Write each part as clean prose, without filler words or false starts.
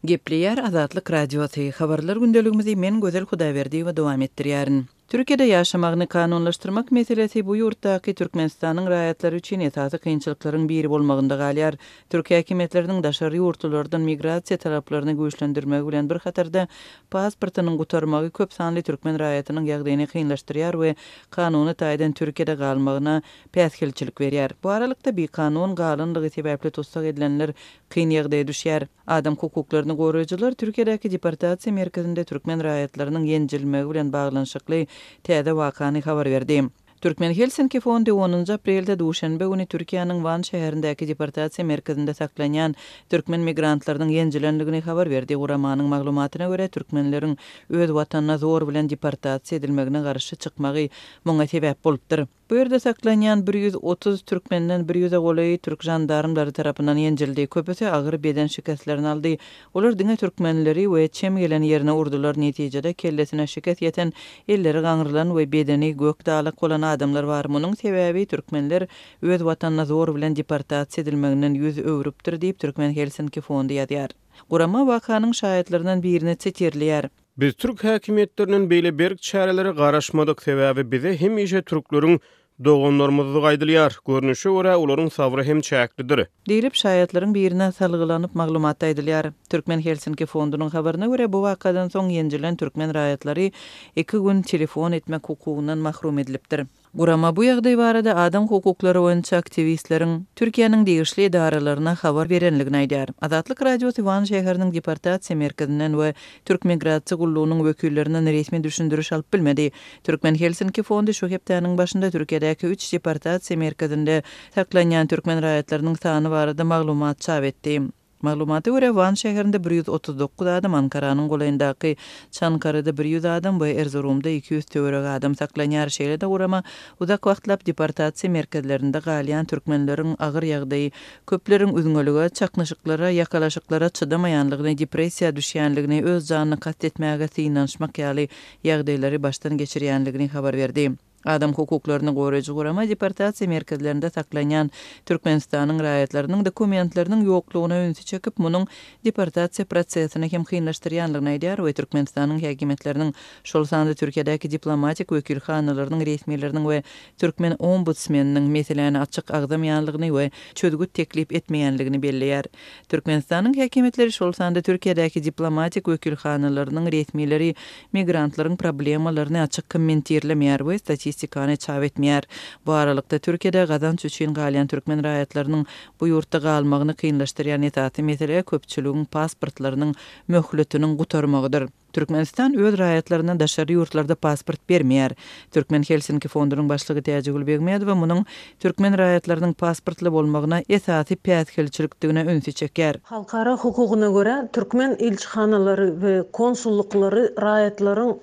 Gepleýär Azatlyk Radiosy, Habarlar gündeligimizi men Gözel Hudaýberdiýewa dowam etdirýärin. Türkiýede ýaşamagyny kanunlaşdyrmak meselesi bu ýurtdaky Türkmenistanyň raýatlary üçin esasy kynçylyklaryň biri bolmagynda galýar. Türk häkimiýetleriniň daşary ýurtlulardan migrasiýa talaplaryny güýçlendirmegi bilen bir hatarda, pasportynyň gutarmagy köp sanly türkmen raýatynyň ýagdaýyny kynlaşdyrýar we kanuny taýdan Türkiýede galmagyna päsgelçilik berýär. Bu aralykda, bikanun galanlygy sebäpli tussag edilenler kyn ýagdaýa düşýär. Adam hukuklaryny goraýjylar Türkiýedäki deportasiýa merkezinde türkmen raýatlarynyň ýenjilmegi bilen baglanyşykly täze wakany habar berdi. Türkmen Helsinki fondy onunjy aprelde duşenbe güni Türkiýäniň Wan şäherindäki deportasiýa merkezinde saklanýan türkmen migrantlarynyň ýenjilendigini habar berdi. Guramanyň maglumatyna görä, türkmenleriň öz watanyna zor bilen deportasiýa edilmegine garşy çykmagy muňa sebäp bolupdyr. Bu ýerde saklanýan 130 türkmenden bir ýüze golaýy türk žandarmlary tarapyndan ýenjildi. Köpüsi agyr beden şikeslerini aldy. Olar diňe türkmenleri we çem gelen ýerine urdular. Netijede kellesine şikes ýeten, elleri gaňrylan we bedeni gök dalak bolan adamlar bar. Munuň sebäbi türkmenler öz watanyna zor bilen deportasiýa edilmeginden ýüz öwrüpdir diýip, Türkmen Helsinki fondy ýazýar. Gurama wakanyň şaýatlaryndan birini sitirleýär. Biz türk häkimiýetlerinden beýle berk çärelere garaşmadyk, sebäbi bize hemişe türkleriň doganlarymyzdygy aýdylýar. Görnüşe görä, olaryň sabry hem çäklidir. Diýlip, şaýatlaryň birine salgylanyp maglumatda aýdylýar. Türkmen Helsinki fondunyň habaryna görä, bu wakadan soň ýenjilen türkmen raýatlary iki gün telefon etmek hukugyndan mahrum edilipdir. Gurama bu ýagdaý barada adam hukuklary boýunça aktiwistleriň Türkiýäniň degişli edaralaryna habar berenligini aýdýar. Azatlyk Radiosy Wan şäheriniň deportasiýa merkezinden we Türk migrasiýa gullugynyň wekillerinden resmi düşündiriş alyp bilmedi. Türkmen Helsinki fondy şu hepdäniň başynda Türkiýedäki üç deportasiýa merkezinde saklanýan türkmen raýatlarynyň sany barada maglumat çap etdi. Maglumata görä, Wan şäherinde 139 adam, Ankaranyň golaýyndaky Çankaryda 100 adam we Erzurumda 200 töweregi adam saklanýar. Şeýle-de gurama uzak wagtlap deportasiýa merkezlerinde galýan türkmenleriň agyr ýagdaýy, köpleriň üzňelige, çaknyşyklara, ýakalaşyklara çydamaýanlygyny, depressiýa düşýänligini, öz janyna kast etmäge synanyşmak ýaly ýagdaýlary başdan geçirýänligini habar berdi. Adam hukuklaryny goraýjy gurama deportasiýa merkezlerinde saklanýan Türkmenistanyň raýatlarynyň dokumentleriniň ýoklugyna ünsi çekip, munuň deportasiýa prosesini hem kynlaşdyrýanlygyny aýdýar we Türkmenistanyň häkimiýetleriniň, şol sanda Türkiýedäki diplomatik wekilhanalarynyň resmileriniň we türkmen ombudsmeniniň meseläni açyk agzamaýanlygyny we çözgüt teklip etmeýänligini belleýär. Türkmenistanyň häkimiýetleri, şol sanda Türkiýedäki diplomatik wekilhanalarynyň resmileri migrantlaryň problemalaryny açyk kommentirlemeýär we statistikany çap etmeýär. Bu aralykda, Türkiýede gazanç üçin galýan türkmen raýatlarynyň bu ýurtda galmagyny kynlaşdyrýan esasy mesele köpçüligiň pasportlarynyň möhletiniň gutarmagydyr. Türkmenistan öz raýatlaryna daşary ýurtlarda pasport bermeýär. Türkmen Helsinki fondunyň başlygy Täjigül Begmedowa munuň türkmen raýatlarynyň pasportly bolmagyna esasy päsgelçilikdigine ünsi çekýär. Halkara hukugyna görä, türkmen ilçihanalary we konsullyklary raýatlaryň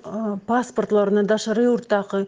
pasportlaryny daşary ýurtdaky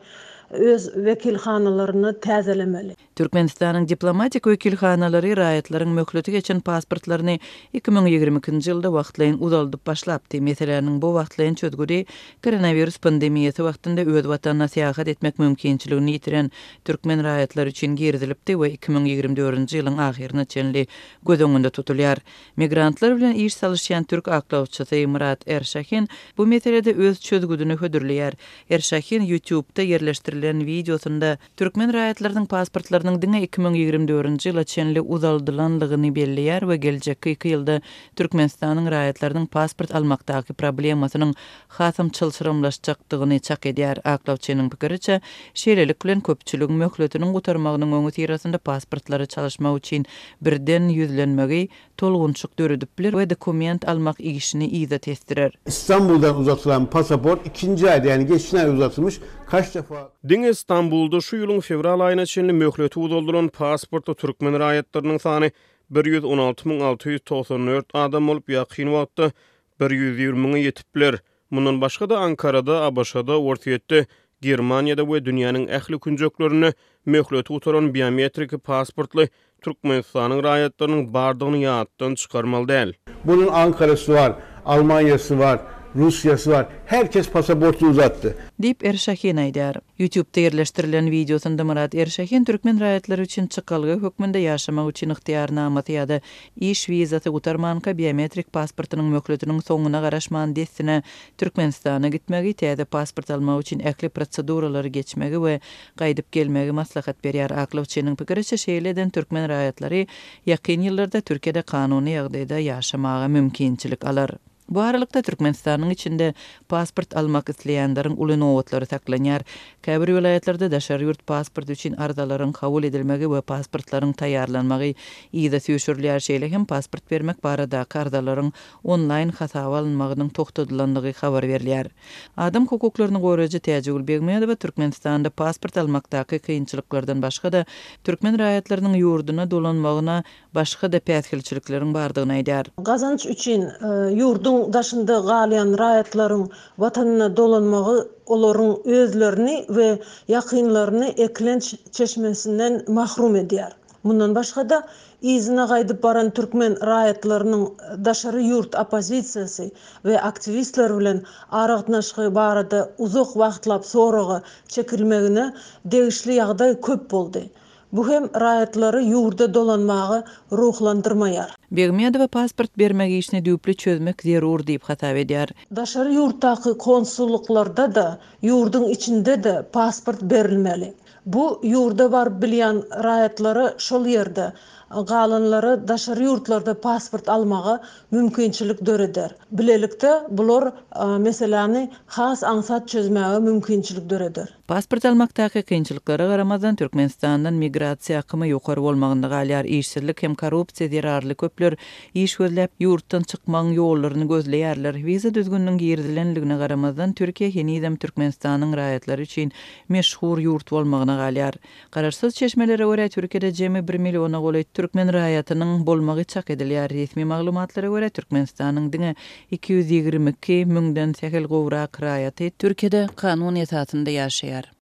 öz wekilhanalarynda täzelemeli. Türkmenistanyň diplomatik wekilhanalary raýatlaryň möhleti geçen pasportlaryny 2022-nji ýylda wagtlaýyn uzaldyp başlapdy. Meseläniň bu wagtlaýyn çözgüdi koronawirus pandemiýasy wagtynda öz watanyna syýahat etmek mümkinçiligini ýitiren türkmen raýatlary üçin girizilipdi we 2024-nji ýylyň ahyryna çenli göz öňünde tutulýar. Migrantlar bilen iş salyşýan türk aklawçysy Myrat Erşahin bu meselede öz çözgüdini hödürleýär. Erşahin YouTube-da ýerleşdirilen wideosynda Türkmen raýatlarynyň pasportlarynyň diňe 2024-nji ýyla çenli uzaldylanlygyny belleýär we geljekki iki ýylda Türkmenistanyň raýatlarynyň pasport almakdaky problemasynyň hasam çylşyrymlaşjakdygyny çak edýär. Aklawçynyň pikiriçe, şeýlelik bilen köpçüligiň möhletiniň gutarmagynyň öňüsyrasynda pasportlary çalyşmak üçin birden ýüzlenmegi tolgunşyk döredip biler we dokument almak işini yza tesdirer. Istanbuldan uzatylan pasaport ikinji aýda, ýagny geçen aý uzatylmyş, kaç defa. Diňe Stambulda şu ýylyň fewral aýyna çenli möhleti uzaldylan pasportly türkmen raýatlarynyň sany 116 694 adam bolup, ýakyn wagtda 120 müňe ýetip biler. Mundan başga-da, Ankarada, ABŞ-da, Orsýetde, Germaniýada we dünýäniň ähli künjeklerinde möhleti gutaran biometriki pasportly Türkmenistanyň raýatlarynyň bardygyny ýatdan çykarmaly däl. Bunun Ankarasy bar, Almanyasy bar. Rusya'sı var. Herkes pasaportunu uzattı. Diýip, Erşahin aýdýar. Ýutubda ýerleşdirilen wideosynda Myrat Erşahin türkmen raýatlary üçin çykalga hökmünde ýaşamak üçin ygtyýarnamasy ýa-da iş wizasy gutarmanka biometrik pasportynyň möhletiniň soňuna garaşman dessine Türkmenistana gitmegi, täze pasport almak üçin ähli proseduralary geçmegi we gaýdyp gelmegi maslahat berýär. Aklawçynyň pikiriçe, şeýle eden türkmen raýatlary ýakyn ýyllarda Türkiýede kanuny ýagdaýda ýaşamaga mümkinçilik alar. Bu aralykda, Türkmenistanyň içinde pasport almak isleýänleriň uly nobatlary saklanýar. Käbir welaýatlarda daşary ýurt pasporty üçin arzalaryň kabul edilmegi we pasportlaryň taýýarlanmagy yza süýşürilýär, şeýle hem pasport bermek baradaky arzalaryň onlaýn hasaba alynmagynyň togtadylandygy habar berilýär. Adam hukuklaryny goraýjy Täjigül Begmedowa Türkmenistanda pasport almakdaky kynçylyklardan başga-da, türkmen raýatlarynyň ýurduna dolanmagyna başga-da päsgelçilikleriň bardygyny aýdýar. Gazanç üçin ýurduň daşynda galýan raýatlaryň watanyna dolanmagy olaryň özlerini we ýakynlaryny eklenç çeşmesinden mahrum edýär. Mundan başga-da, yzyna gaýdyp baran türkmen raýatlarynyň daşary ýurt oppozisiýasy we aktiwistler bilen aragatnaşygy barada uzak wagtlap soraga çekilmegine degişli ýagdaý köp boldy. Bu hem raýatlary ýurda dolanmaga ruhlandyrmaýar. Begmedowa pasport bermek işini düýpli çözmek zerur diýip hasap edýär. Daşary ýurtdaky konsullyklarda-da, ýurduň içinde-de pasport berilmeli. Bu ýurda baryp bilýän raýatlara şol ýerde, galanlara daşary ýurtlarda pasport almaga mümkinçilik döreder. Bilelikde bular meseläni has aňsat çözmäge mümkinçilik döreder. Pasport almakdaky kynçylyklara garamazdan, Türkmenistandan migrasiýa akymy ýokary bolmagynda galýar. Işsizlik hem korrupsiýa zerarly köpler iş gözläp, ýurtdan çykmagyň ýollaryny gözleýärler. Wiza düzgüniniň girizilenligine garamazdan, Türkiýe henizem Türkmenistanyň raýatlary üçin meşhur ýurt bolmagyna galýar. Garaşsyz çeşmelere görä, Türkiýede jemi bir milliona golaý türkmen raýatynyň bolmagy çak edilýär. Resmi maglumatlara görä, Türkmenistanyň diňe 222 müňden sähel gowrak raýaty Türkiýede kanun esasynda ýaşaýar.